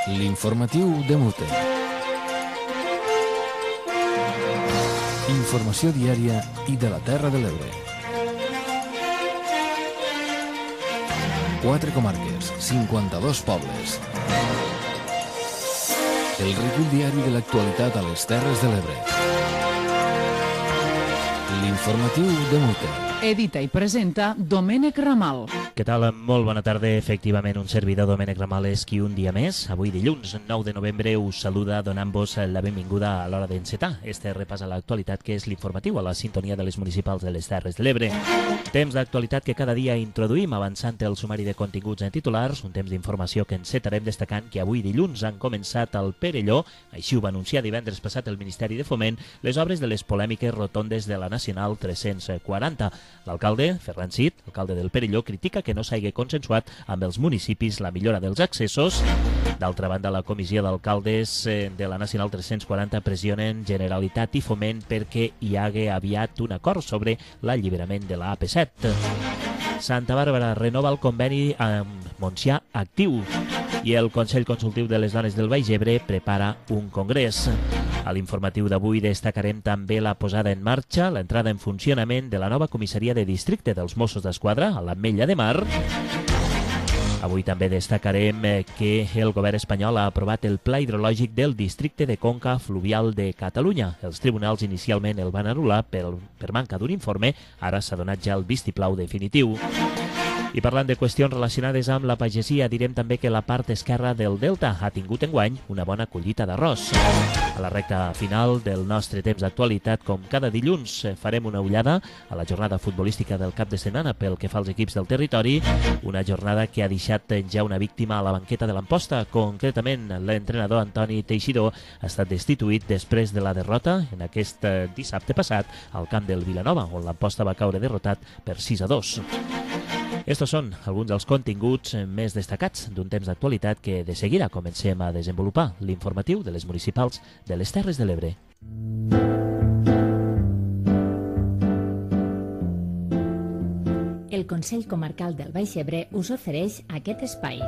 L'informatiu de Mute. Informació diària i de la Terra de l'Ebre. 4 comarques, 52 pobles. El recull diari de l'actualitat a les Terres de l'Ebre. L'informatiu de Mute. Edita i presenta Domènec Ramal. Què tal? Molt bona tarda. Efectivament, un servidor, Domènec Ramal, és qui un dia més. Avui dilluns 9 de novembre us saluda donant-vos la benvinguda a l'hora d'encetar este repàs a l'actualitat que és l'informatiu a la sintonia de les municipals de les Terres de l'Ebre. Temps d'actualitat que cada dia introduïm avançant el sumari de continguts en titulars, un temps d'informació que encetarem destacant que avui dilluns han començat al Perelló, així ho va anunciar divendres passat el Ministeri de Foment, les obres de les polèmiques rotondes de la Nacional 340. L'alcalde, Ferran Cid, alcalde del Perelló, critica que no s'hagi consensuat amb els municipis la millora dels accessos. D'altra banda, la comissió d'alcaldes de la Nacional 340 pressionen Generalitat i Foment perquè hi hagi aviat un acord sobre l'alliberament de la AP7. Santa Bàrbara renova el conveni amb Montsià Actiu i el Consell Consultiu de les Dones del Baix Ebre prepara un congrés. A l'informatiu d'avui destacarem també la posada en marxa, l'entrada en funcionament de la nova comissaria de districte dels Mossos d'Esquadra a l'Ametlla de Mar. Avui també destacarem que el govern espanyol ha aprovat el pla hidrològic del districte de Conca Fluvial de Catalunya. Els tribunals inicialment el van anul·lar per manca d'un informe, ara s'ha donat ja el vistiplau definitiu. I parlant de qüestions relacionades amb la pagesia, direm també que la part esquerra del Delta ha tingut enguany una bona collita d'arròs. A la recta final del nostre temps d'actualitat, com cada dilluns, farem una ullada a la jornada futbolística del cap de setmana pel que fa als equips del territori, una jornada que ha deixat ja una víctima a la banqueta de l'Amposta. Concretament, l'entrenador Antoni Teixidor ha estat destituït després de la derrota en aquest dissabte passat al camp del Vilanova, on l'Amposta va caure derrotat per 6-2. Estos són alguns dels continguts més destacats d'un temps d'actualitat que de seguida comencem a desenvolupar, l'informatiu de les municipals de les Terres de l'Ebre. El Consell Comarcal del Baix Ebre us ofereix aquest espai.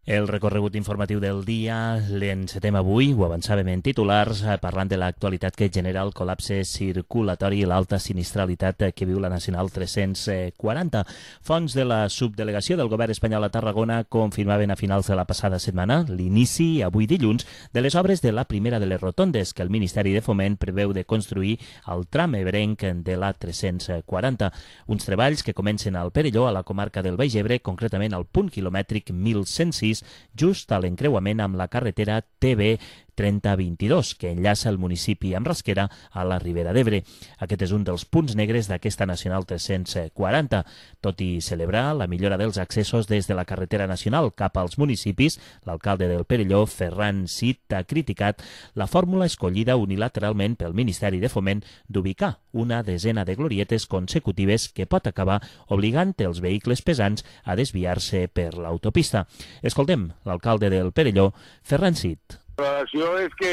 El recorregut informatiu del dia l'encetem avui, ho avançàvem en titulars, parlant de l'actualitat que genera el col·lapse circulatori i l'alta sinistralitat que viu la Nacional 340. Fonts de la subdelegació del govern espanyol a Tarragona confirmaven a finals de la passada setmana l'inici, avui dilluns, de les obres de la primera de les rotondes que el Ministeri de Foment preveu de construir al tram ebrenc de la 340. Uns treballs que comencen al Perelló, a la comarca del Baix Ebre, concretament al punt quilomètric 1106, just a l'encreuament amb la carretera TB 3022, que enllaça el municipi amb Rasquera a la Ribera d'Ebre. Aquest és un dels punts negres d'aquesta Nacional 340. Tot i celebrar la millora dels accessos des de la carretera nacional cap als municipis, l'alcalde del Perelló, Ferran Cid, ha criticat la fórmula escollida unilateralment pel Ministeri de Foment d'ubicar una desena de glorietes consecutives que pot acabar obligant els vehicles pesants a desviar-se per l'autopista. Escoltem l'alcalde del Perelló, Ferran Cid. La relació és que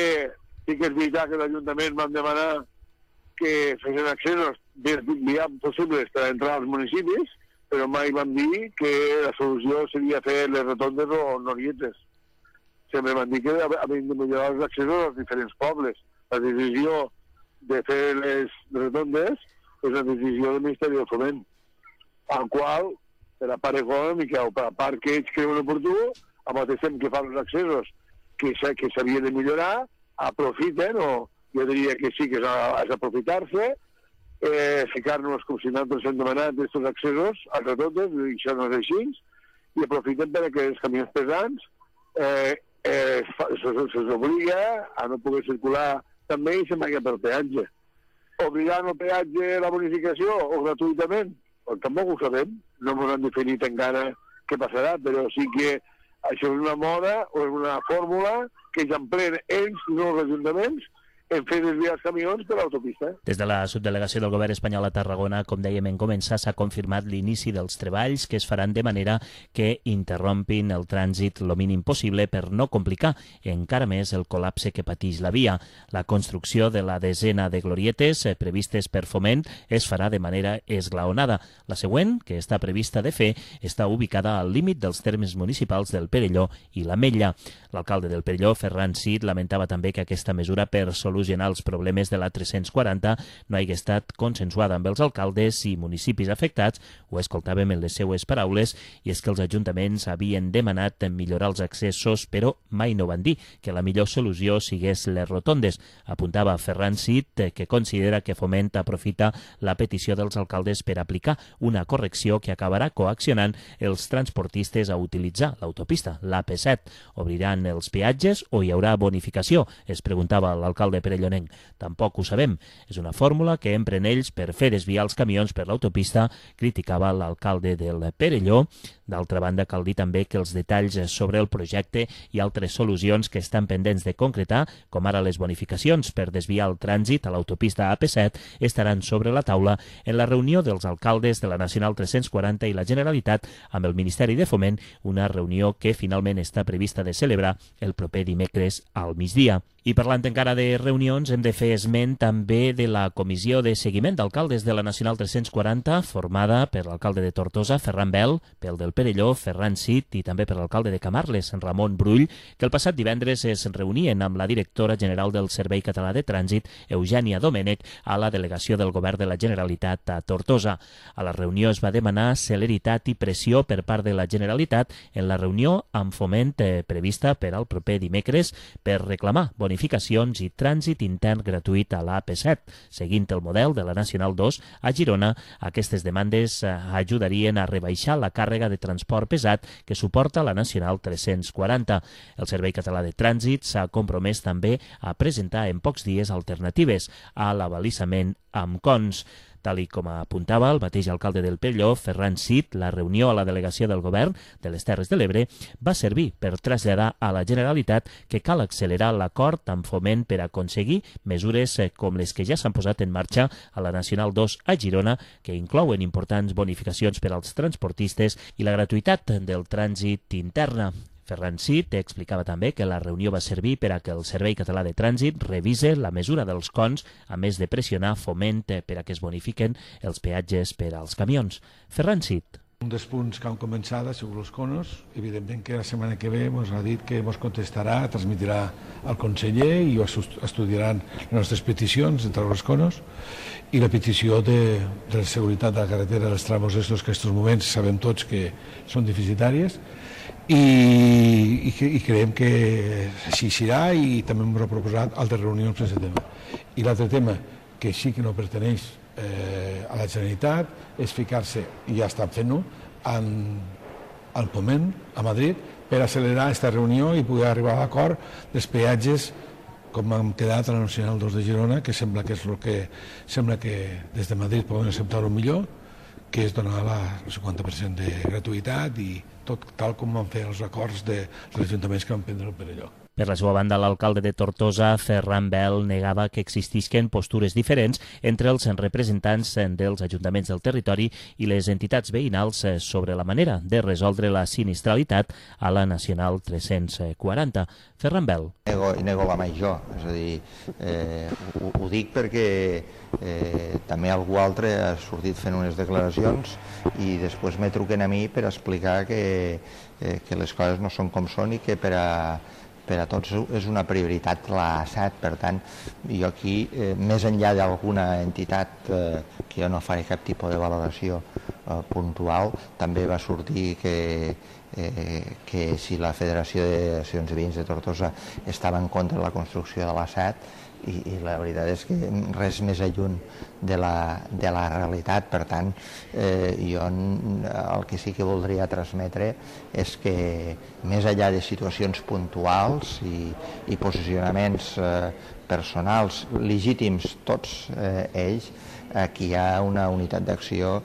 sí que és veritat que l'Ajuntament vam demanar que fessin accessos viables possibles per entrar als municipis, però mai vam dir que la solució seria fer les rotondes o glorietes. Sempre vam dir que havien de millorar els accessos als diferents pobles. La decisió de fer les rotondes és una decisió del Ministeri del Foment, al qual, per la part econòmica o per la part que ells creuen oportú, al mateix temps que fan els accessos que s'havia de millorar, aprofiten, o jo diria que sí que és aprofitar-se, ficar-nos com si nosaltres hem demanat aquests accessos a totes, i això no és així, i aprofiten perquè els camions pesants se'ls obliga a no poder circular també i se'n vagin pel peatge. Obligant el peatge la bonificació o gratuïtament? Pues tampoc ho sabem, no ens han definit encara què passarà, però sí que això és una moda o és una fórmula que ja empleen ells, no els ajuntaments, en fer desviar els camions per l'autopista. Des de la subdelegació del govern espanyol a Tarragona, com dèiem en començar, s'ha confirmat l'inici dels treballs que es faran de manera que interrompin el trànsit lo mínim possible per no complicar encara més el col·lapse que pateix la via. La construcció de la desena de glorietes previstes per Foment es farà de manera esglaonada. La següent, que està prevista de fer, està ubicada al límit dels termes municipals del Perelló i l'Ametlla. L'alcalde del Perelló, Ferran Cid, lamentava també que aquesta mesura per solucionar els problemes de la 340 no hagi estat consensuada amb els alcaldes i municipis afectats. Ho escoltàvem en les seues paraules, i és que els ajuntaments havien demanat millorar els accessos, però mai no van dir que la millor solució sigués les rotondes. Apuntava Ferran Cid que considera que Foment aprofita la petició dels alcaldes per aplicar una correcció que acabarà coaccionant els transportistes a utilitzar l'autopista, l'AP7. Obriran els peatges o hi haurà bonificació? Es preguntava l'alcalde perellonenc. Tampoc ho sabem. És una fórmula que empren ells per fer desviar els camions per l'autopista, criticava l'alcalde del Perelló. D'altra banda, cal dir també que els detalls sobre el projecte i altres solucions que estan pendents de concretar, com ara les bonificacions per desviar el trànsit a l'autopista AP7, estaran sobre la taula en la reunió dels alcaldes de la Nacional 340 i la Generalitat amb el Ministeri de Foment, una reunió que finalment està prevista de celebrar el proper dimecres al migdia. I parlant encara de reunions, hem de fer esment també de la Comissió de Seguiment d'Alcaldes de la Nacional 340, formada per l'alcalde de Tortosa, Ferran Bel, pel del Perelló, Ferran Cid, i també per l'alcalde de Camarles, Ramon Brull, que el passat divendres es reunien amb la directora general del Servei Català de Trànsit, Eugènia Domènech, a la delegació del Govern de la Generalitat a Tortosa. A la reunió es va demanar celeritat i pressió per part de la Generalitat en la reunió amb Foment prevista per al proper dimecres per reclamar bonificacions i trànsit intern gratuït a l'AP7. Seguint el model de la Nacional 2 a Girona, aquestes demandes ajudarien a rebaixar la càrrega de transport pesat que suporta la Nacional 340. El Servei Català de Trànsit s'ha compromès també a presentar en pocs dies alternatives a l'abalisament amb cons. Tal i com apuntava el mateix alcalde del Perelló, Ferran Cid, la reunió a la delegació del govern de les Terres de l'Ebre va servir per traslladar a la Generalitat que cal accelerar l'acord amb Foment per aconseguir mesures com les que ja s'han posat en marxa a la Nacional 2 a Girona, que inclouen importants bonificacions per als transportistes i la gratuïtat del trànsit interna. Ferran Cid explicava també que la reunió va servir per a que el Servei Català de Trànsit revise la mesura dels cons, a més de pressionar Foment per a que es bonifiquen els peatges per als camions. Ferran Cid. Un dels punts que han començat ha sigut els conos. Evidentment que la setmana que ve ens ha dit que ens contestarà, transmetrà al conseller i estudiaran les nostres peticions entre els conos i la petició de la seguretat de la carretera dels tramos estos que en aquests moments sabem tots que són deficitàries i creiem que així serà i també hem proposat altres reunions per aquest tema. I l'altre tema, que sí que no perteneix a la Generalitat, és ficar-se, i ja estan fent-ho, al Foment, a Madrid, per accelerar aquesta reunió i poder arribar a l'acord dels peatges com hem quedat a la Nacional 2 de Girona, que sembla que és el que sembla que des de Madrid poden acceptar-ho millor, que és donar el 50% de gratuïtat i tot tal com van fer els acords dels ajuntaments que van prendre el Perelló. Per la seva banda, l'alcalde de Tortosa, Ferran Bel, negava que existisquen postures diferents entre els representants dels ajuntaments del territori i les entitats veïnals sobre la manera de resoldre la sinistralitat a la Nacional 340. Ferran Bel. Nego la major, és a dir, ho dic perquè també algú altre ha sortit fent unes declaracions i després me truquen a mi per explicar que les coses no són com són i que per a tots és una prioritat la SAT. Per tant, jo aquí, més enllà d'alguna entitat que jo no faré cap tipus de valoració puntual, també va sortir que si la Federació d'Associacions de Veïns de Tortosa estava en contra de la construcció de la SAT, i la veritat és que res més lluny de la realitat. Per tant, jo el que sí que voldria transmetre és que més enllà de situacions puntuals i posicionaments personals legítims tots ells, aquí hi ha una unitat d'acció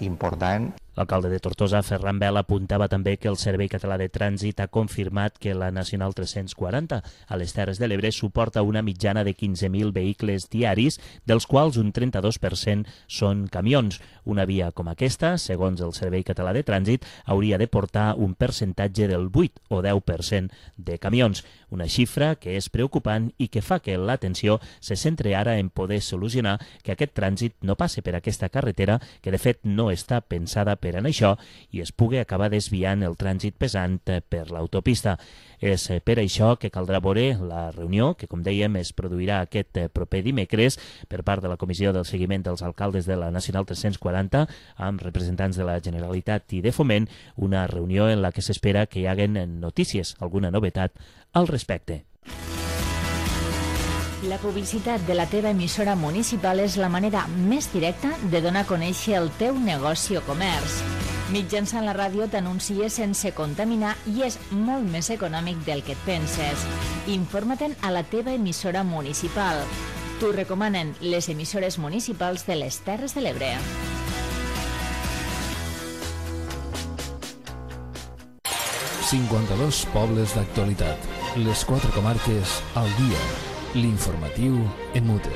important. L'alcalde de Tortosa, Ferran Vela, apuntava també que el Servei Català de Trànsit ha confirmat que la Nacional 340 a les Terres de l'Ebre suporta una mitjana de 15.000 vehicles diaris, dels quals un 32% són camions. Una via com aquesta, segons el Servei Català de Trànsit, hauria de portar un percentatge del 8 o 10% de camions. Una xifra que és preocupant i que fa que l'atenció se centre ara en poder solucionar que aquest trànsit no passe per aquesta carretera, que de fet no està pensada per en això, i es pugui acabar desviant el trànsit pesant per l'autopista. És per això que caldrà veure la reunió, que com dèiem es produirà aquest proper dimecres per part de la Comissió del Seguiment dels Alcaldes de la Nacional 340 amb representants de la Generalitat i de Foment, una reunió en la que s'espera que hi haguen notícies, alguna novetat al respecte. La publicitat de la teva emissora municipal és la manera més directa de donar a conèixer el teu negoci o comerç. Mitjançant la ràdio t'anuncies sense contaminar i és molt més econòmic del que et penses. Informa-te'n a la teva emissora municipal. T'ho recomanen les emissores municipals de les Terres de l'Ebre. ...52 pobles d'actualitat. Les 4 comarques al dia. L'informatiu en mute.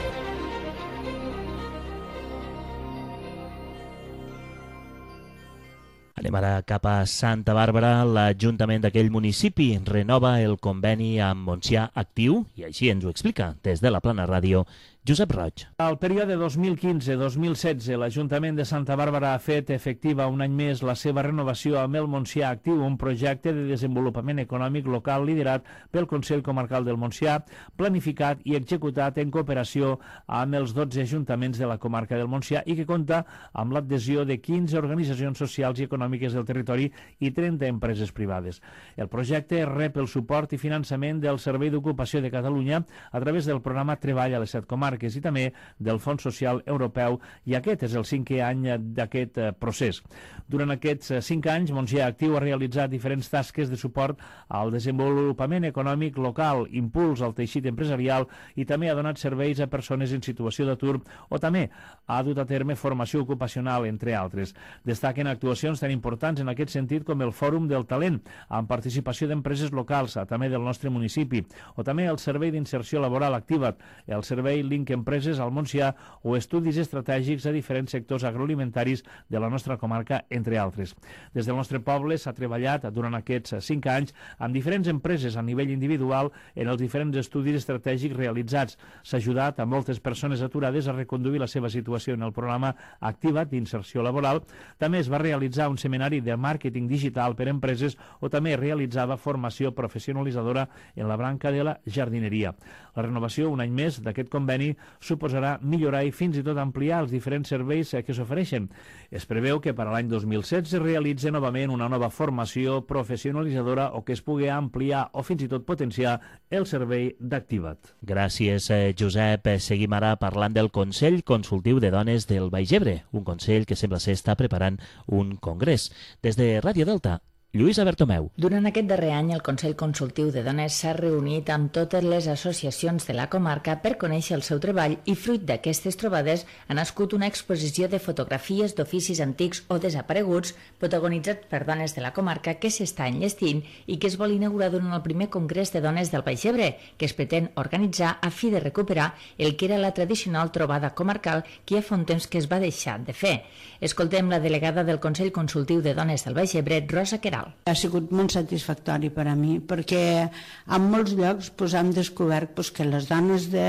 Anem ara cap a Santa Bàrbara. L'Ajuntament d'aquell municipi renova el conveni amb Montsià Actiu i així ens ho explica des de la Plana Ràdio Josep Roig. Al període 2015-2016, l'Ajuntament de Santa Bàrbara ha fet efectiva un any més la seva renovació amb el Montsià Actiu, un projecte de desenvolupament econòmic local liderat pel Consell Comarcal del Montsià, planificat i executat en cooperació amb els 12 ajuntaments de la comarca del Montsià i que compta amb l'adhesió de 15 organitzacions socials i econòmiques del territori i 30 empreses privades. El projecte rep el suport i finançament del Servei d'Ocupació de Catalunya a través del programa Treball a les 7 comarques i també del Fons Social Europeu, i aquest és el 5è any d'aquest procés. Durant aquests 5 anys, Montsià Actiu ha realitzat diferents tasques de suport al desenvolupament econòmic local, impuls al teixit empresarial i també ha donat serveis a persones en situació d'atur o també ha dut a terme formació ocupacional, entre altres. Destaquen actuacions tan importants en aquest sentit com el Fòrum del Talent, amb participació d'empreses locals, també del nostre municipi, o també el Servei d'Inserció Laboral Activa't, el Servei Link Empreses al Montsià o estudis estratègics a diferents sectors agroalimentaris de la nostra comarca, entre altres. Des del nostre poble s'ha treballat durant aquests 5 anys amb diferents empreses a nivell individual en els diferents estudis estratègics realitzats. S'ha ajudat a moltes persones aturades a reconduir la seva situació en el programa Activa't d'inserció laboral. També es va realitzar un seminari de màrqueting digital per a empreses o també realitzava formació professionalitzadora en la branca de la jardineria. La renovació, un any més, d'aquest conveni suposarà millorar i fins i tot ampliar els diferents serveis que s'ofereixen. Es preveu que per a l'any 2016 es realitzi novament una nova formació professionalitzadora o que es pugui ampliar o fins i tot potenciar el servei d'Activa't. Gràcies, Josep. Seguim ara parlant del Consell Consultiu de Dones del Baix Ebre, un consell que sembla ser està preparant un congrés. Des de Ràdio Delta, Lluïsa Bertomeu. Durant aquest darrer any, el Consell Consultiu de Dones s'ha reunit amb totes les associacions de la comarca per conèixer el seu treball i, fruit d'aquestes trobades, ha nascut una exposició de fotografies d'oficis antics o desapareguts protagonitzats per dones de la comarca que s'està enllestint i que es vol inaugurar durant el primer Congrés de Dones del Baix Ebre, que es pretén organitzar a fi de recuperar el que era la tradicional trobada comarcal que ja fa un temps que es va deixar de fer. Escoltem la delegada del Consell Consultiu de Dones del Baix Ebre, Rosa Queralt. Ha sigut molt satisfactori per a mi, perquè en molts llocs hem descobert que les dones de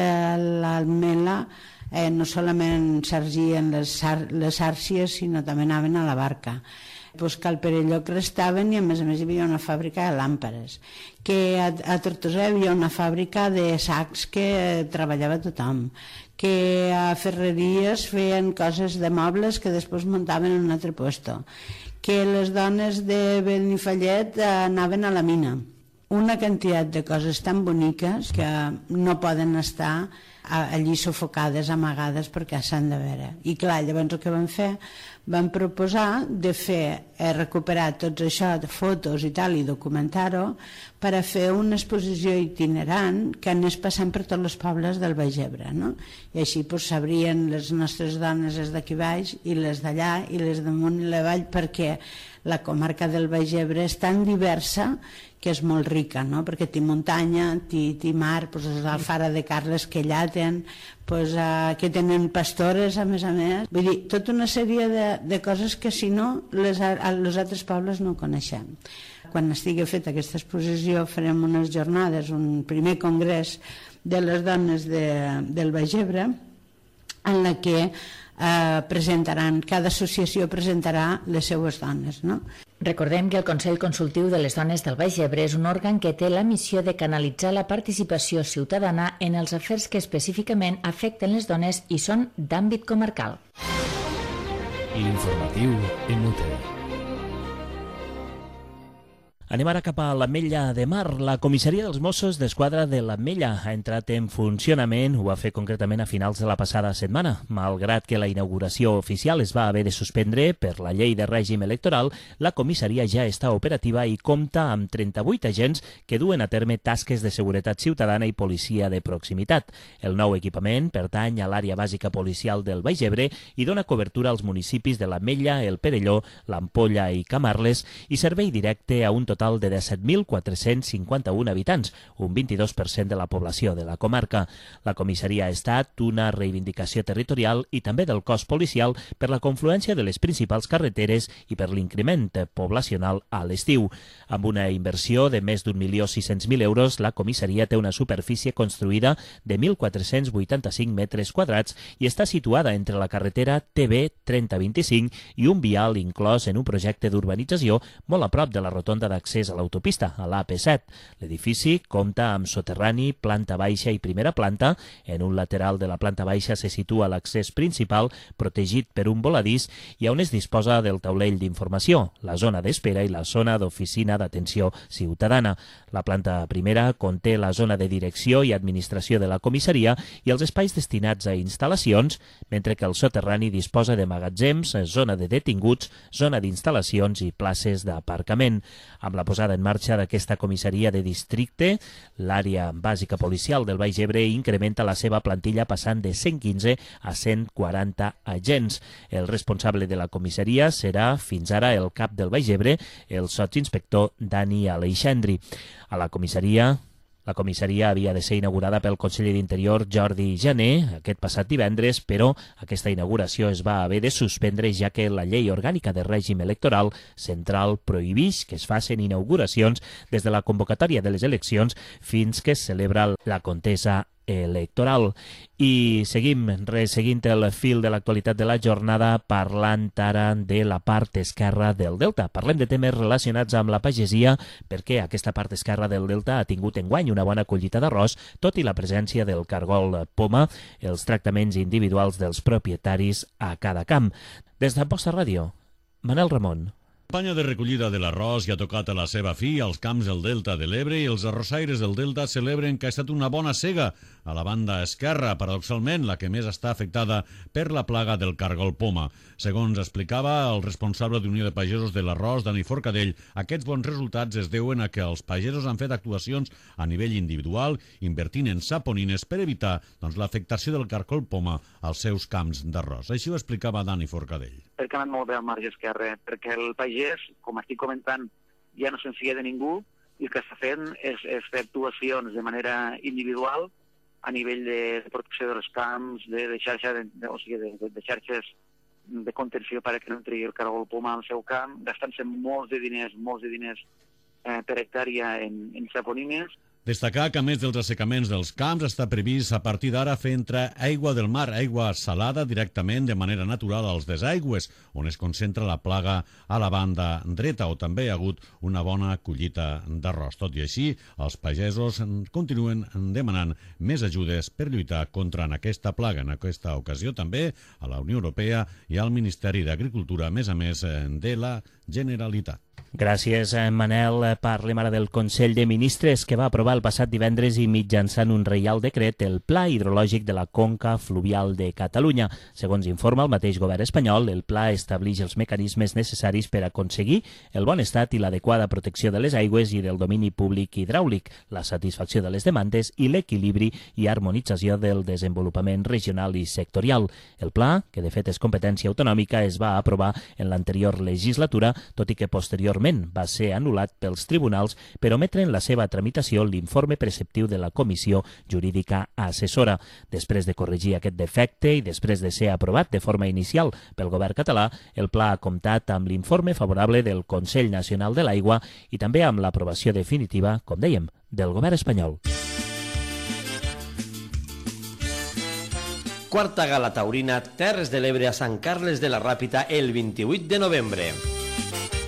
l'Almela no solament sargien les àrcies, sinó també anaven a la barca. Que al Perelló restaven i a més hi havia una fàbrica de làmpades, que a Tortosa hi havia una fàbrica de sacs que treballava tothom, que a Ferreries feien coses de mobles que després muntaven en un altre puesto, que les dones de Benifallet anaven a la mina. Una quantitat de coses tan boniques que no poden estar allí sufocades, amagades, perquè s'han de veure. I clar, llavors el que vam fer, vam proposar de recuperar tots això, de fotos i tal, i documentar-ho, per a fer una exposició itinerant que anés passant per tots els pobles del Baix Ebre, no? I així sabrien les nostres dones, les d'aquí baix i les d'allà i les damunt i la vall, perquè la comarca del Baix Ebre és tan diversa que és molt rica, no? Perquè té muntanya, té mar, els d'Alfara de Carles que allà que tenen pastores, a més. Vull dir, tota una sèrie de coses que si no, els altres pobles no coneixem. Quan estigui feta aquesta exposició farem unes jornades, un primer congrés de les dones del Baix Ebre, en la que cada associació presentarà les seues dones, no? Recordem que el Consell Consultiu de les Dones del Baix Ebre és un òrgan que té la missió de canalitzar la participació ciutadana en els afers que específicament afecten les dones i són d'àmbit comarcal. L'informatiu en UTE. Anem ara cap a l'Ametlla de Mar. La comissaria dels Mossos d'Esquadra de l'Ametlla ha entrat en funcionament, ho va fer concretament a finals de la passada setmana. Malgrat que la inauguració oficial es va haver de suspendre per la llei de règim electoral, la comissaria ja està operativa i compta amb 38 agents que duen a terme tasques de seguretat ciutadana i policia de proximitat. El nou equipament pertany a l'àrea bàsica policial del Baix Ebre i dona cobertura als municipis de l'Ametlla, el Perelló, l'Ampolla i Camarles i servei directe a un total de 17.451 habitants, un 22% de la població de la comarca. La comissaria ha estat una reivindicació territorial i també del cos policial per la confluència de les principals carreteres i per l'increment poblacional a l'estiu. Amb una inversió de més d'1.600.000 euros, la comissaria té una superfície construïda de 1.485 metres quadrats i està situada entre la carretera TB 3025 i un vial inclòs en un projecte d'urbanització molt a prop de la rotonda d'accés a l'autopista, a l'AP7. L'edifici compta amb soterrani, planta baixa i primera planta. En un lateral de la planta baixa se situa l'accés principal, protegit per un voladís, i on es disposa del taulell d'informació, la zona d'espera i la zona d'oficina d'atenció ciutadana. La planta primera conté la zona de direcció i administració de la comissaria i els espais destinats a instal·lacions, mentre que el soterrani disposa de magatzems, zona de detinguts, zona d'instal·lacions i places d'aparcament. Amb la posada en marxa d'aquesta comissaria de districte, l'àrea bàsica policial del Baix Ebre incrementa la seva plantilla passant de 115 a 140 agents. El responsable de la comissaria serà fins ara el cap del Baix Ebre, el sotsinspector Dani Aleixandri. A la comissaria havia de ser inaugurada pel conseller d'Interior Jordi Jané aquest passat divendres, però aquesta inauguració es va haver de suspendre ja que la llei orgànica de règim electoral central prohibeix que es facin inauguracions des de la convocatòria de les eleccions fins que es celebra la contesa electoral. I seguim resseguint el fil de l'actualitat de la jornada parlant ara de la part esquerra del Delta. Parlem de temes relacionats amb la pagesia perquè aquesta part esquerra del Delta ha tingut enguany una bona collita d'arròs, tot i la presència del cargol poma, els tractaments individuals dels propietaris a cada camp. Des d'Amposta Ràdio, Manel Ramon. La campanya de recollida de l'arròs ja ha tocat a la seva fi als camps del Delta de l'Ebre i els arrossaires del Delta celebren que ha estat una bona sega a la banda esquerra, paradoxalment la que més està afectada per la plaga del cargol poma. Segons explicava el responsable d'Unió de Pagesos de l'Arròs, Dani Forcadell, aquests bons resultats es deuen a que els pagesos han fet actuacions a nivell individual, invertint en saponines per evitar l'afectació del cargol poma als seus camps d'arròs. Així ho explicava Dani Forcadell. Perquè ha anat molt bé al marge esquerre, perquè el pagès, com estic comentant, ja no se'n fia de ningú i el que està fent és fer actuacions de manera individual a nivell de protecció dels camps, de xarxes de contenció perquè no entri el cargol poma al seu camp, gastant-se molts de diners per hectàrea en saponines. Destacar que, a més dels assecaments dels camps, està previst a partir d'ara fer entrar aigua del mar, aigua salada, directament de manera natural als desaigües, on es concentra la plaga a la banda dreta, o també hi ha hagut una bona collita d'arròs. Tot i així, els pagesos continuen demanant més ajudes per lluitar contra aquesta plaga. En aquesta ocasió també a la Unió Europea i al Ministeri d'Agricultura, a més de la Generalitat. Gràcies, Manel. Parlem ara del Consell de Ministres que va aprovar el passat divendres i mitjançant un reial decret el Pla Hidrològic de la Conca Fluvial de Catalunya. Segons informa el mateix govern espanyol, el pla estableix els mecanismes necessaris per aconseguir el bon estat i l'adequada protecció de les aigües i del domini públic hidràulic, la satisfacció de les demandes i l'equilibri i harmonització del desenvolupament regional i sectorial. El pla, que de fet és competència autonòmica, es va aprovar en l'anterior legislatura, tot i que posteriorment va ser anul·lat pels tribunals per ometre en la seva tramitació l'informe preceptiu de la Comissió Jurídica Assessora. Després de corregir aquest defecte i després de ser aprovat de forma inicial pel govern català, el pla ha comptat amb l'informe favorable del Consell Nacional de l'Aigua i també amb l'aprovació definitiva, com dèiem, del govern espanyol. Quarta gala taurina Terres de l'Ebre a Sant Carles de la Ràpita el 28 de novembre.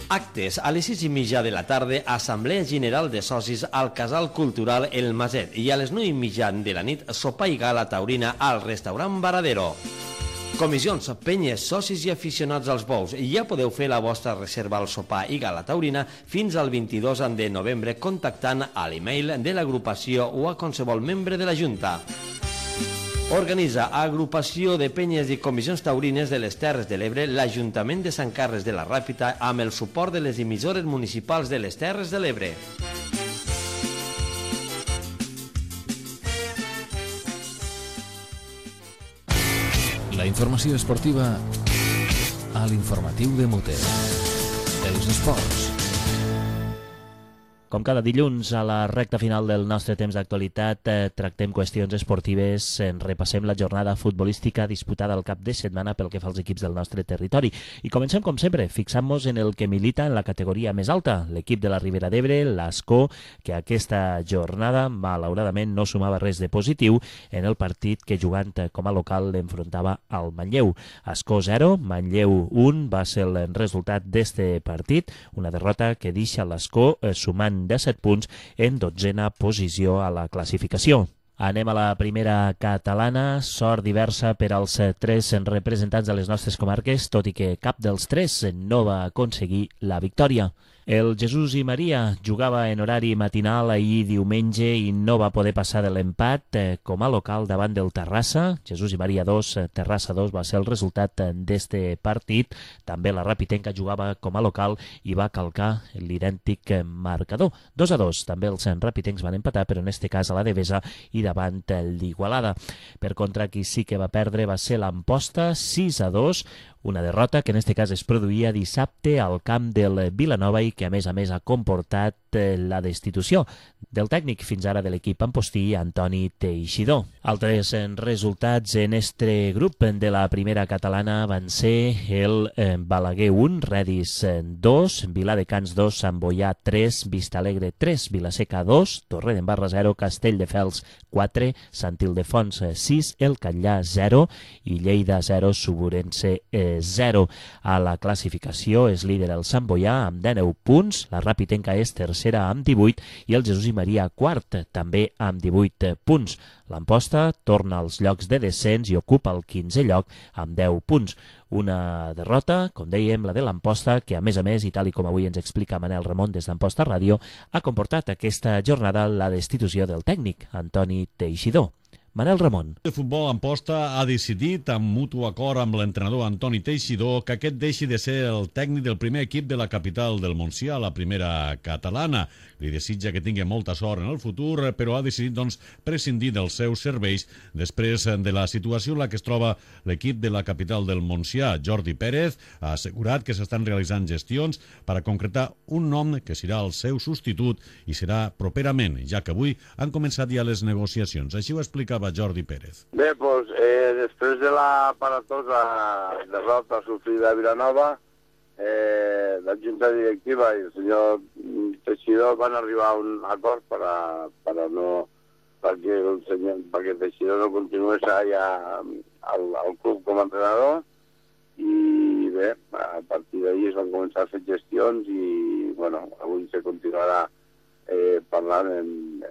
Actes a les 6:30 de la tarda, Assemblea General de Socis al Casal Cultural El Maset i a les 9:30 de la nit, sopar i gala taurina al restaurant Varadero. Comissions, penyes, socis i aficionats als bous. Ja podeu fer la vostra reserva al sopar i gala taurina fins al 22 de novembre contactant a l'email de l'agrupació o a qualsevol membre de la Junta. Organitza Agrupació de Penyes i Comissions Taurines de les Terres de l'Ebre l'Ajuntament de Sant Carles de la Ràpita amb el suport de les emissores municipals de les Terres de l'Ebre. La informació esportiva a l'informatiu de Moter. Els esports. Com cada dilluns, a la recta final del nostre temps d'actualitat, tractem qüestions esportives, repassem la jornada futbolística disputada al cap de setmana pel que fa als equips del nostre territori. I comencem, com sempre, fixant-nos en el que milita en la categoria més alta, l'equip de la Ribera d'Ebre, l'Ascó, que aquesta jornada, malauradament, no sumava res de positiu en el partit que, jugant com a local, l'enfrontava al Manlleu. Ascó 0, Manlleu 1 va ser el resultat d'este partit, una derrota que deixa l'Ascó sumant de 7 punts en 12a posició a la classificació. Anem a la primera catalana, sort diversa per als 3 representants de les nostres comarques, tot i que cap dels 3 no va aconseguir la victòria. El Jesús i Maria jugava en horari matinal ahir diumenge i no va poder passar de l'empat com a local davant del Terrassa. Jesús i Maria 2, Terrassa 2 va ser el resultat d'este partit. També la Rapitenca jugava com a local i va calcar l'idèntic marcador. 2-2. També els rapitencs van empatar, però en este cas a la Devesa i davant l'Igualada. Per contra, qui sí que va perdre va ser l'Amposta, 6-2, una derrota que en este cas es produïa dissabte al camp del Vilanova i que a més ha comportat la destitució del tècnic fins ara de l'equip ampostí, Antoni Teixidor. Altres resultats en este grup de la primera catalana van ser el Balaguer 1, Redis 2, Viladecans 2, Sant Boià 3, Vistalegre 3, Vilaseca 2, Torredembarra 0, Castelldefels 4, Sant Ildefons 6, El Catllà 0 i Lleida 0, Suburense 0. A la classificació és líder el Sant Boià amb 19 punts, la Rapitenca és tercera amb 18 i el Jesús i Maria quart, també amb 18 punts. L'Amposta torna als llocs de descens i ocupa el 15è lloc amb 10 punts. Una derrota, com dèiem, la de l'Amposta, que a més, i tal com avui ens explica Manel Ramon des d'Amposta Ràdio, ha comportat aquesta jornada la destitució del tècnic, Antoni Teixidor. Manel Ramon. El futbol Amposta ha decidit, amb mutu acord amb l'entrenador Antoni Teixidor, que aquest deixi de ser el tècnic del primer equip de la capital del Montsià, la primera catalana. Li desitja que tingui molta sort en el futur, però ha decidit, prescindir dels seus serveis després de la situació en la que es troba l'equip de la capital del Montsià. Jordi Pérez ha assegurat que s'estan realitzant gestions per a concretar un nom que serà el seu substitut i serà properament, ja que avui han començat ja les negociacions. Així ho explicava Jordi Pérez. Bé, doncs, després de la aparatosa derrota sofrida a Vilanova, la Junta Directiva i el senyor Teixidor van arribar a un acord perquè Teixidor no continués allà al club com a entrenador i bé, a partir d'ahir es van començar a fer gestions i bueno, avui se continuarà parlant en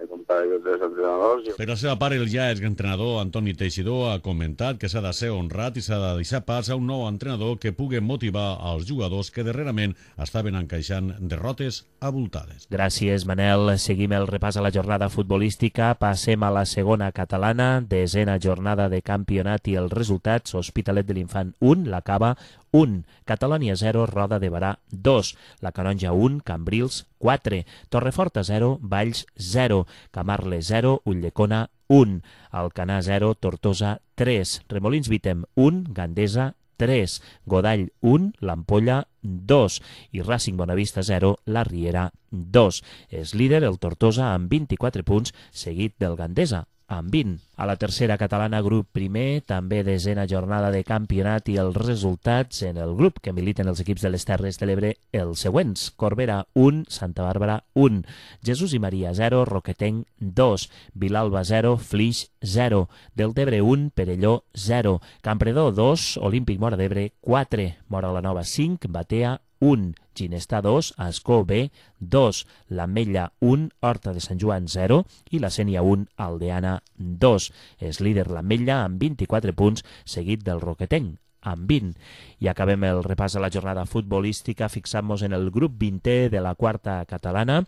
comparació dels entrenadors. Per la seva part, el ja exentrenador Antoni Teixidor ha comentat que s'ha de ser honrat i s'ha de deixar pas a un nou entrenador que pugui motivar els jugadors que darrerament estaven encaixant derrotes abultades. Gràcies, Manel. Seguim el repàs a la jornada futbolística. Passem a la segona catalana, desena jornada de campionat i els resultats. Hospitalet de l'Infant 1, la Cava 1, Catalònia 0, Roda de Barà 2, la Canonja 1, Cambrils 4, Torreforta 0, Valls 0, Camarles 0, Ulldecona 1, Alcanar 0, Tortosa 3, Remolins Vitem 1, Gandesa 3, Godall 1, l'Ampolla 2 i Racing Bonavista 0, la Riera 2. És líder el Tortosa amb 24 punts, seguit del Gandesa amb 20. A la tercera catalana, grup primer, també desena jornada de campionat i els resultats en el grup que militen els equips de les Terres de l'Ebre els següents. Corbera 1, Santa Bàrbara 1, Jesús i Maria 0, Roquetenc 2, Vilalba 0, Flix 0, Deltebre 1, Perelló 0, Campredó 2, Olímpic Móra d'Ebre 4, Móra la Nova 5, Batea 1, Ginestà 2, Ascó B 2, l'Ametlla 1, Horta de Sant Joan 0 i la Sénia 1, Aldeana 2. És líder l'Ametlla amb 24 punts, seguit del Roquetenc amb 20. I acabem el repàs a la jornada futbolística fixant-nos en el grup 20è de la quarta catalana.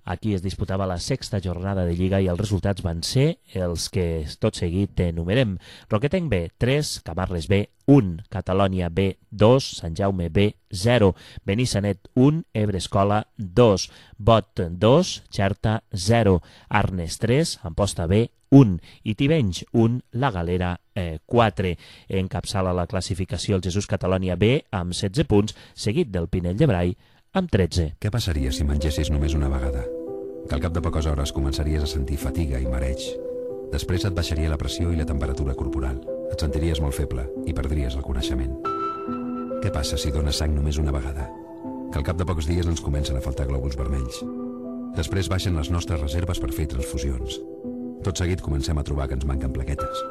Aquí es disputava la sexta jornada de Lliga i els resultats van ser els que tot seguit enumerem. Roquetenc B, 3, Camarles B, 1, Catalònia B, 2, Sant Jaume B, 0, Benissanet 1, Ebre Escola 2, Bot 2, Xerta 0, Arnes 3, Amposta B 1 i Tivenys 1, La Galera 4. Encapçala la classificació el Jesús Catalònia B amb 16 punts, seguit del Pinell de Brai amb 13. Què passaria si mengessis només una vegada? Que al cap de poques hores començaries a sentir fatiga i mareig. Després et baixaria la pressió i la temperatura corporal. Et sentiries molt feble i perdries el coneixement. Què passa si dones sang només una vegada? Que al cap de pocs dies ens comencen a faltar glòbuls vermells. Després baixen les nostres reserves per fer transfusions. Tot seguit comencem a trobar que ens manquen plaquetes.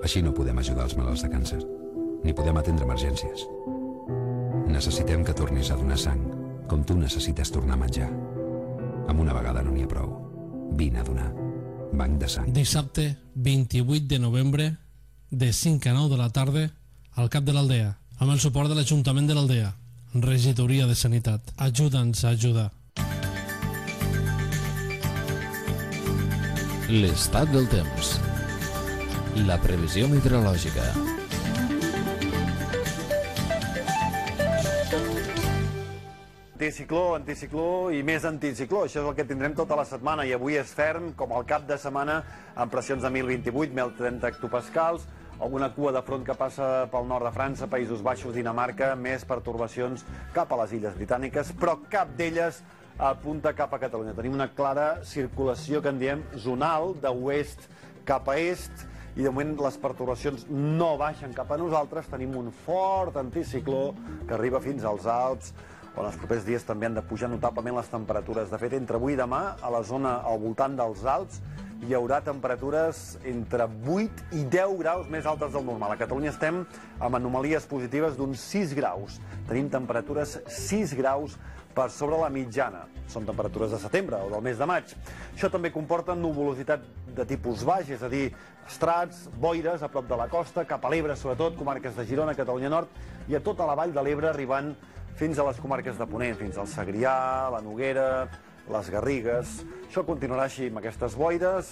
Així no podem ajudar els malalts de càncer, ni podem atendre emergències. Necessitem que tornis a donar sang, com tu necessites tornar a menjar. Amb una vegada no n'hi ha prou. Vine a donar. Banc de sang. Dissabte 28 de novembre, de 5 a 9 de la tarda, al cap de l'Aldea, amb el suport de l'Ajuntament de l'Aldea, Regidoria de Sanitat. Ajuda'ns a ajudar. L'estat del temps. La previsió meteorològica. Anticicló i més anticicló. Això és el que tindrem tota la setmana i avui és ferm, com el cap de setmana, amb pressions de 1028, 1030 hectopascals, alguna cua de front que passa pel nord de França, Països Baixos, Dinamarca, més pertorbacions cap a les Illes Britàniques, però cap d'elles apunta cap a Catalunya. Tenim una clara circulació que en diem zonal, d'oest cap a est, i de moment les pertorbacions no baixen cap a nosaltres. Tenim un fort anticicló que arriba fins als Alps, on els propers dies també han de pujar notablement les temperatures. De fet, entre avui i demà, a la zona al voltant dels Alps, hi haurà temperatures entre 8 i 10 graus més altes del normal. A Catalunya estem amb anomalies positives d'uns 6 graus. Tenim temperatures 6 graus per sobre la mitjana. Són temperatures de setembre o del mes de maig. Això també comporta nuvolositat de tipus baix, és a dir, estrats, boires a prop de la costa, cap a l'Ebre sobretot, comarques de Girona, Catalunya Nord, i a tota la vall de l'Ebre arribant fins a les comarques de Ponent, fins al Segrià, la Noguera, les Garrigues. Això continuarà així amb aquestes boires,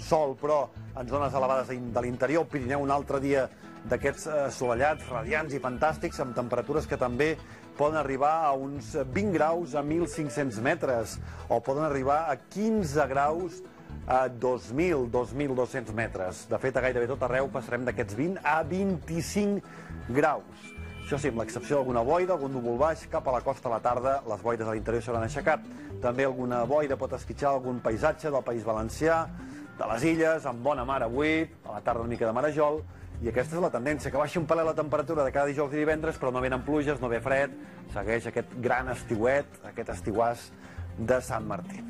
sol però en zones elevades de l'interior, Pirineu un altre dia d'aquests assolellats, radiants i fantàstics, amb temperatures que també poden arribar a uns 20 graus a 1.500 metres, o poden arribar a 15 graus a 2.200 metres. De fet, a gairebé tot arreu passarem d'aquests 20 a 25 graus. Això sí, amb l'excepció d'alguna boira, algun núvol baix, cap a la costa a la tarda, les boires a l'interior s'hauran aixecat. També alguna boira pot esquitxar algun paisatge del País Valencià, de les Illes, amb bona mar avui, a la tarda una mica de marejol, i aquesta és la tendència, que baixi un palet la temperatura de cada dijous i divendres, però no venen pluges, no ve fred, segueix aquest gran estiuet, aquest estiuàs de Sant Martí.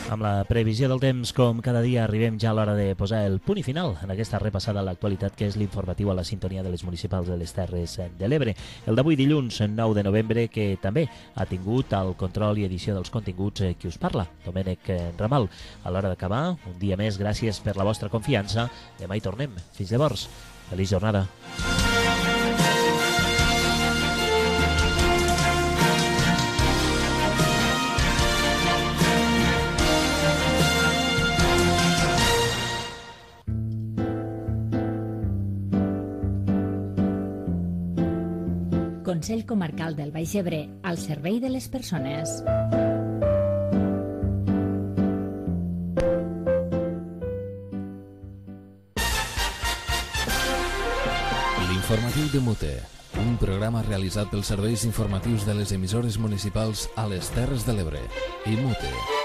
Amb la previsió del temps, com cada dia, arribem ja a l'hora de posar el punt i final en aquesta repassada a l'actualitat que és l'informatiu a la sintonia de les municipals de les Terres de l'Ebre. El d'avui dilluns 9 de novembre, que també ha tingut el control i edició dels continguts qui us parla, Domènec Ramal. A l'hora d'acabar, un dia més, gràcies per la vostra confiança. Demà hi tornem. Fins llavors, feliç jornada. Consell Comarcal del Baix Ebre, al servei de les persones. L'informatiu de Mute, un programa realitzat pels serveis informatius de les emissores municipals a les Terres de l'Ebre i Mute.